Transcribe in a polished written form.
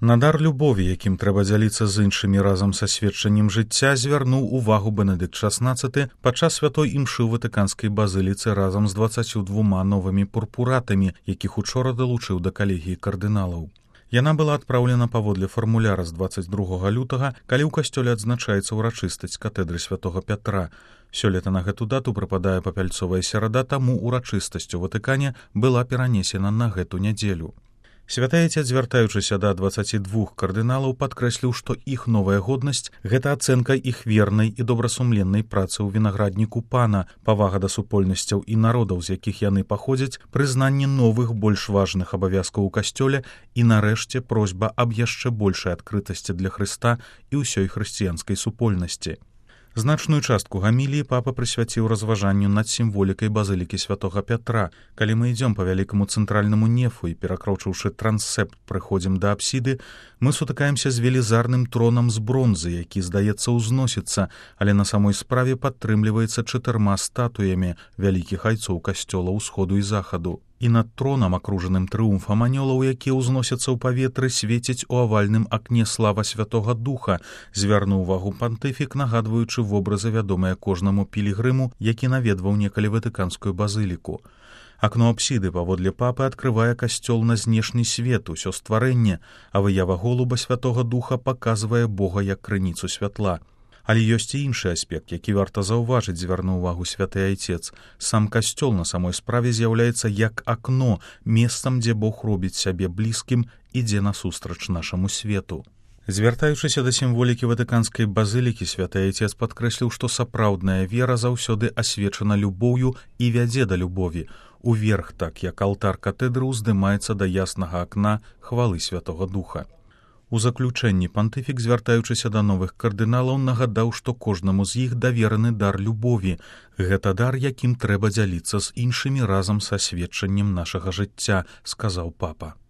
На дар любові, якім трэба дзяліцца з іншымі разам са сведчаннем жыцця, звярнуў увагу Бенедыкт XVI падчас святой імшы ў Ватыканскай базыліцы разам з 22 новымі пурпуратамі, якіх учора далучыў да калегіі кардыналаў. Яна была адпраўлена паводле фармуляра з 22 лютага, калі ў касцёле адзначаецца ўрачыстасць катэдры святога Пятра. Сёлета на гэту дату прыпадае папяльцовая серада, таму ўрачыстасць у Ватыкане была перанесена на гэту нядзелю. Святы Айцец, звяртаючыся да 22 кардыналаў, падкрэсліў, што іх новая годнасць – гэта ацэнка іх вернай і добрасумленнай працы ў вінаградніку Пана, павага да супольнасцяў і народаў, з якіх яны паходзяць, прызнанне новых, больш важных абавязкаў у касцёле і, нарэшце, просьба аб яшчэ большай адкрытасці для Хрыста і ўсёй хрысціянскай супольнасці. Значную частку гаміліі папа прысвяціў разважанню над сімволікай базылікі святога Пятра. Калі мы ідзём па вялікаму цэнтральнаму нефу і, перакрочыўшы трансепт, прыходзім да апсіды, мы сутыкаемся з велізарным тронам з бронзы, які, здаецца, узносіцца, але на самой справе падтрымліваецца 4 статуямі вялікіх айцоў касцёла ўсходу і захаду. І над тронам, акружаным трыумфам анёлаў, якія ўзносяцца ў паветры, свеціць у авальным акне слава Святога Духа, звярнуў увагу пантыфік, нагадваючы вобразы, вядомыя кожнаму пілігрыму, які наведваў некалі Ватыканскую базыліку. Акно апсіды паводле папы адкрывае касцёл на знешні свет, усё стварэнне, а выява голуба Святога Духа паказвае Бога як крыніцу святла. Але ёсць і іншы аспект, які варта заўважыць, звярнуў увагу святы Айцец. Сам касцёл на самой справе з'яўляецца як акно, месцам, дзе Бог робіць сябе блізкім, ідзе насустрач нашаму свету. Звяртаючыся да сімволікі Ватыканскай базылікі, святы Айцец падкрэсліў, што сапраўдная вера заўсёды асвечана любоўю і вядзе да любові. Уверх, так як алтар катэдры ўздымаецца да яснага акна хвалы Святога Духа. У заключэнні пантыфік, звяртаючыся да новых кардыналаў, нагадаў, што кожнаму з іх давераны дар любові. Гэта дар, якім трэба дзяліцца з іншымі разам са сведчаннем нашага жыцця, сказаў папа.